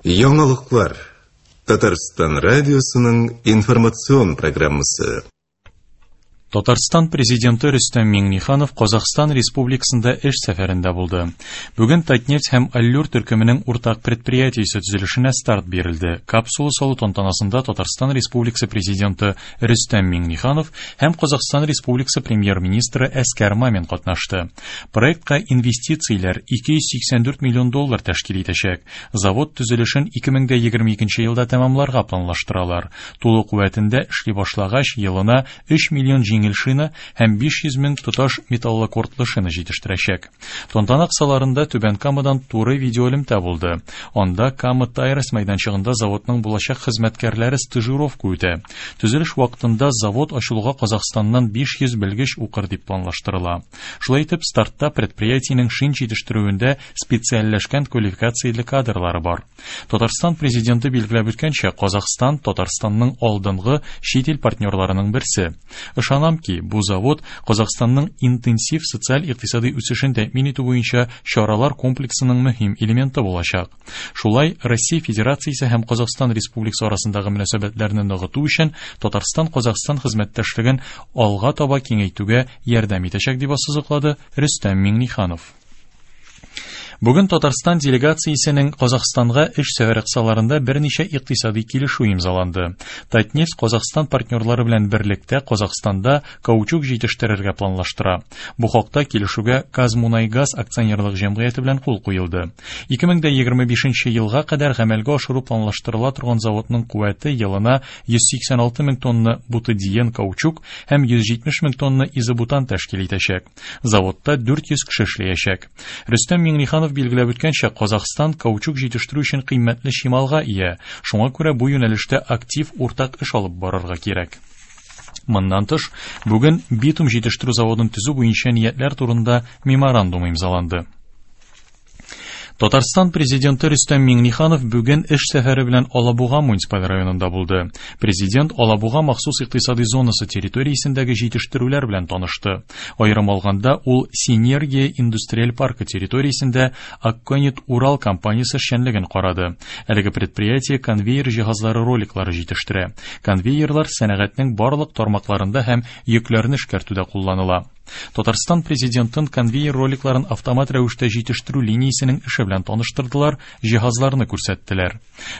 Яңалыклар. Татарстан радиосының информацион программасы. Татарстан президенты Рөстәм Миңнеханов Казахстан Республикасында эш сәфәрендә булды. Бүген Татнефть һәм Аллюр төркеменең уртак предприятиесе төзелешенә старт бирелде. Капсула салу тантанасында Татарстан Республикасы президенты Рөстәм Миңнеханов һәм Казахстан Республикасы премьер-министры Әскәр Мамин катнашты. Проектка инвестицияләр 284 миллион доллар тәшкил итәчәк. Завод төзелешен 2022 елда тәмамларга планлаштыралар. Тулы куәтендә эшли башлагач, елына 3 миллион җиңел шина һәм 500 мең тоташ металлокордлы шина җитештерәчәк. Тантана кысаларында Түбән Камадан туры видеоэлемтә булды. Анда Кама Тайрес мәйданчыгында заводның булачак хезмәткәрләре стажировка үтә. Төзелеш вакытында завод ачылуга Казахстаннан 500 белгеч укыр дип планлаштырыла. Шулай итеп, стартта предприятиенең шин җитештерүендә специальләшкән квалификацияле кадрлары бар. Татарстан президенты билгеләп үткәнчә, Казахстан Татарстанның алдынгы чит ил партнерларының берсе. Ышанам ки, бу завод Казахстанның интенсив социаль-икътисади үсешен тәэмин итү буенча чаралар комплексының мөһим элементы булачак. Шулай, Россия Федерациясе һәм Казахстан Республикасы арасындагы мөнәсәбәтләрне ныгыту өчен Татарстан-Казахстан хезмәттәшлеген алга таба киңәйтүгә ярдәм итәчәк, дип ассызыклады Рөстәм Миңнеханов. Бүген Татарстан делегациясенең Казахстанга эш сәфәре кысаларында берничә икътисади килешү имзаланды. Татнефть Казахстан партнерлары белән берлектә Казахстанда каучук җитештерергә планлаштыра. Бу хакта килешүгә Казмунайгаз акционерлык җәмгыяте белән кул куелды. 2025 елга кадәр гамәлгә ашыру планлаштырыла торган заводның куәте елына 186 мең тонна бутадиен каучук һәм 170 мең тонна изобутан тәшкил итәчәк. Заводта 400 кеше эшләячәк. Рөстәм Миңнеханов билгеләп үткәнчә, Казахстан каучук җитештерү өчен кыйммәтле чималга ия. Шуңа күрә бу юнәлештә актив уртак эш алып барырга кирәк. Моннан тыш, бүген битум җитештерү заводын төзү буенча ниятләр турында меморандум имзаланды. Татарстан президенты Рөстәм Миңнеханов бүген эш сәфәре белән Алабуга муниципаль районында булды. Президент Алабуга махсус икътисади зонасы территориясендәге җитештерүләр белән танышты. Аерым алганда, ул Синергия индустриаль паркы территориясендә Акконит Урал компаниясе эшчәнлеген карады. Әлеге предприятие конвейер җиһазлары роликлары җитештерә. Конвейерлар сәнәгатьнең барлык тармакларында һәм йөкләрне эшкәртүдә кулланыла. Татарстан президентын конвейер роликларын автомат рәвештә җитештерү линиясенең эше белән таныштырдылар, җиһазларны күрсәттеләр.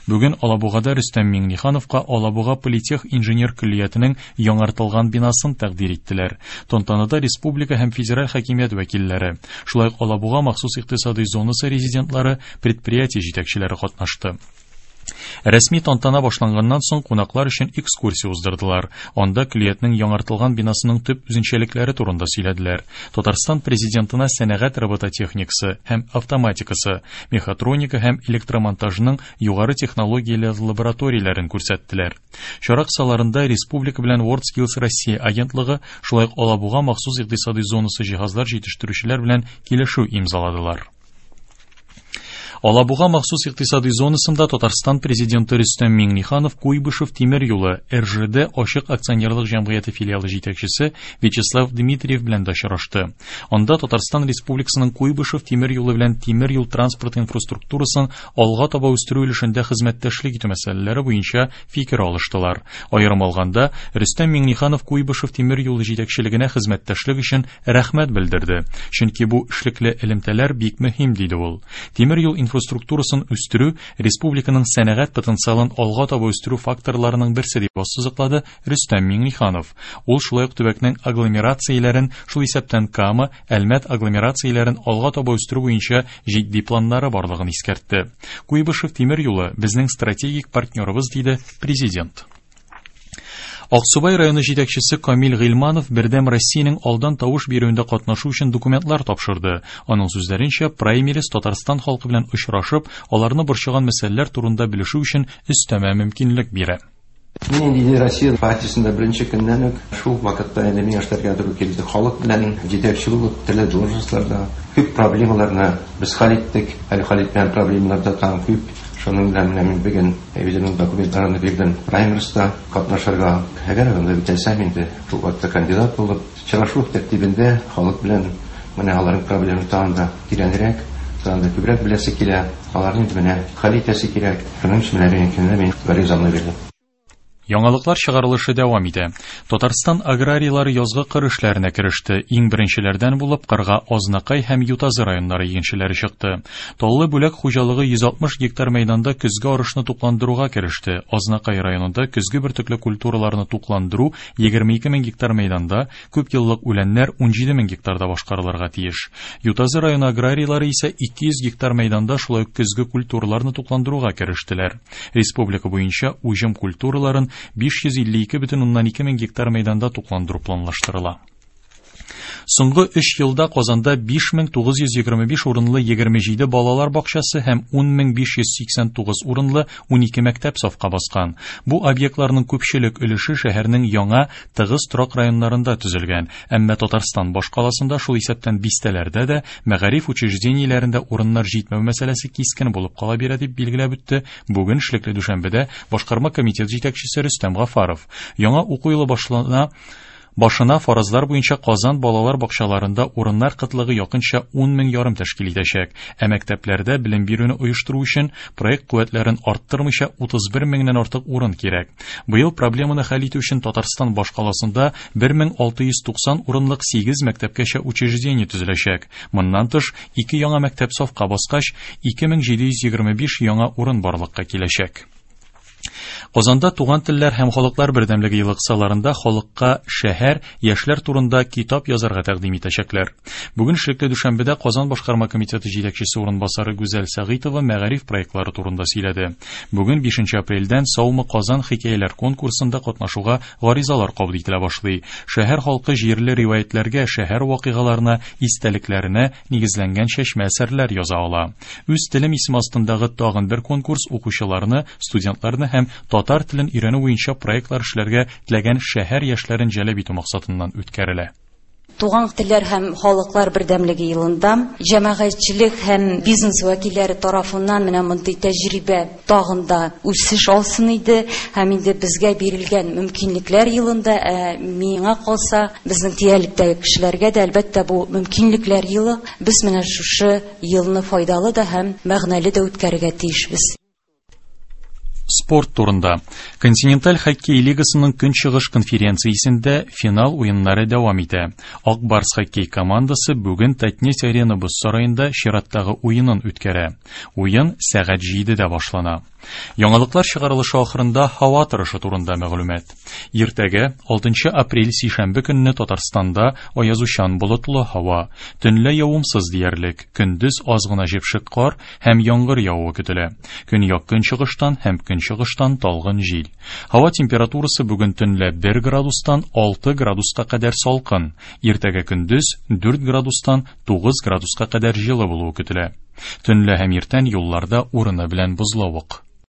Бүген Алабугада Рөстәм Миңнехановка Алабуга политех инженер көллиятенең яңартылган бинасын тәкъдир иттеләр. Тантанада республика һәм федераль хакимият вәкилләре, шулай ук Алабуга махсус икътисади зонасы резидентлары, предприятие җитәкчеләре катнашты. Рәсми тантана башланганнан соң кунаклар өчен экскурсия уздырдылар. Анда көллиятнең яңартылган бинасының төп үзенчәлекләре турында сөйләделәр. Татарстан президентына сәнәгать робототехникасы һәм автоматикасы, мехатроника һәм электромонтажның югары технологияле лабораторияләрен күрсәттеләр. Чара кысаларында республика белән WorldSkills Россия агентлыгы, шулай ук Алабуга махсус икътисади зонасы җиһазлар җитештерүчеләр белән килешү имзаладылар. Алабуга махсус икътисади зонасында Татарстан президенты Рөстәм Миңнеханов Куйбышев тимер юлы РЖД ачык акционерлык җәмгыяте филиалы җитәкчесе Вячеслав Дмитриев белән дә очрашты. Анда Татарстан Республикасының Куйбышев тимер юлы белән тимер юл транспорт инфраструктурасын алга таба үстерү өлешендә хезмәттәшлек итү мәсьәләләре буенча фикер алыштылар. Аерым алганда, Рөстәм Миңнеханов Куйбышев тимер юлы җитәкчелегенә хезмәттәшлек өчен рәхмәт белдерде. Чөнки бу эшлекле элемтәләр бик мөһим, диде ул. Тимер юл инфраструктурасын үстерү республиканың сәнәгать потенциалын алга таба үстерү факторларының берсе дип ассызыклады Рөстәм Миңнеханов. Ул шулай ук төбәкнең агломерацияләрен, шул исәптән Кама, Әлмәт агломерацияләрен алга таба үстерү буенча җитди планнары барлыгын искәртте. Куйбышев тимер юлы безнең стратегик партнерыбыз, диде президент. Аксубай районы җитәкчесе Камил Гыйльманов Бердәм Россиянең алдан тавыш бирүендә катнашу өчен документлар тапшырды. Аның сүзләренчә, праймериз Татарстан халкы белән очрашып, аларны борчыган мәсьәләләр турында белешү өчен өстәмә мөмкинлек бирә. Мин инде Россия партиясендә беренче көннән үк шул вакытта инде миңа эшләргә туры килде. Халык белән җитәкче булып, төрле должностьларда күп проблемаларны без хәл иттек. Әле хәл итмәгән проблемалар да тагын күп. Шуның белән менә мин бүген үземнең документларымны бирдем праймерста катнашырга. Әгәр анда үтәсәм инде, шул вакытта кандидат булып, очрашу тәртибендә халык белән менә аларның проблемын тагын да тирәнрәк, Анда күбрәк беләсе килә. Аларны инде менә хәл итәсе кирәк. Шуның өчен менә бүгенге көндә мин гаризамны бирдем. Яңалыклар чыгарылышы дәвам итә. Татарстан аграрийлары язгы кыр эшләренә кереште. Иң беренчеләрдән булып кырга Азнакай һәм Ютазы районнары игенчеләре чыкты. Таллы Бүләк хуҗалыгы 160 гектар мәйданда көзге арышны тукландыруга кереште. Азнакай районында көзге бөртекле культураларны тукландыру 22 мең гектар мәйданда, күпьеллык үләннәр 17 мең гектарда башкарылырга тиеш. Ютазы районы аграрийлары исә 200 гектар мәйданда шулай ук көзге культураларны тукландыруга керештеләр. Республика буенча уҗым культураларын 552,2 мең гектар мәйданда тукландыру планлаштырыла. Соңгы 3 елда Казанда 5925 урынлы 27 балалар бакчасы һәм 10589 урынлы 12 мәктәп сафка баскан. Бу объектларның күпчелек өлеше шәһәрнең яңа тыгыз торак районнарында төзелгән. Әмма Татарстан башкаласында, шул исәптән бистәләрдә дә, мәгариф учреждениеләрендә урыннар җитмәү мәсьәләсе кискен булып кала бирә, дип билгеләп үтте бүген эшлекле дүшәмбедә башкарма комитет җитәкчесе Рөстәм Гафаров. Яңа уку елы башлана Башына фаразлар буенча Казан балалар бакчаларында урыннар кытлыгы якынча 10 мең ярым тәшкил итәчәк. Ә мәктәпләрдә белем бирүне оештыру өчен проект куәтләрен арттырмыйча 31 меңнән артык урын кирәк. Быел проблеманы хәл итү өчен Татарстан башкаласында 1690 урынлык 8 мәктәпкәчә учреждение төзеләчәк. Моннан тыш, ике яңа мәктәп сафка баскач, 2725 яңа урын барлыкка киләчәк. Казанда Туган телләр һәм халыклар бердәмлеге елы кысаларында халыкка шәһәр, яшьләр турында китап язарга тәкъдим итәчәкләр. Бүген эшлекле дүшәмбедә Казан башкарма комитеты җитәкчесе урынбасары Гүзәл Сәгыйтова мәгариф проектлары турында сөйләде. Бүген 5 апрельдән Саумы Казан хикәяләр конкурсында катнашуга гаризалар кабул ителә башлый. Шәһәр халкы җирле риваятьләргә, шәһәр вакыйгаларына, истәлекләренә нигезләнгән чәчмә әсәрләр яза ала. Үз телем исеме астындагы тагын бер конкурс укучыларны, студентларны һәм татар телен өйрәнү буенча проектлар эшләргә теләгән шәһәр яшьләрен җәлеп итү максатыннан үткәрелә. Туган телләр һәм халыклар бердәмлеге елында җәмәгатьчелек һәм бизнес вәкилләре тарафыннан менә мондый тәҗрибә тагын да үсеш алсын иде һәм инде безгә бирелгән мөмкинлекләр елында, миңа калса, безнең тирәлектәге кешеләргә дә әлбәттә бу мөмкинлекләр елы, без менә шушы елны файдалы да һәм мәгънәле дә үткәрергә тиешбез. Спорт турында. Континенталь хоккей лигасының көнчыгыш конференциясендә финал уеннары дәвам итә. Ак Барс хоккей командасы бүген Татнефть Арена боз сараенда чираттагы уенын үткәрә. Уен сәгать 7-дә башлана. Яңалыклар чыгарылышы ахырында һава торышы турында мәгълүмат. Иртәгә 6 апрель сишәмбе көнне Татарстанда аязучан болытлы һава, төнлә явымсыз диярлек, көндез аз гына җепшек кар һәм яңгыр явуы көтелә. Көньяк көнчыгыштан һәм көнчыгыштан талгын җил. Һава температурасы бүген төнлә 1 градустан 6 градуска кадәр салкын, иртәгә көндез 4 градустан 9 градуска кадәр җылы булуы көтелә. Төнлә һәм иртән юлларда урыны белән бозлавык.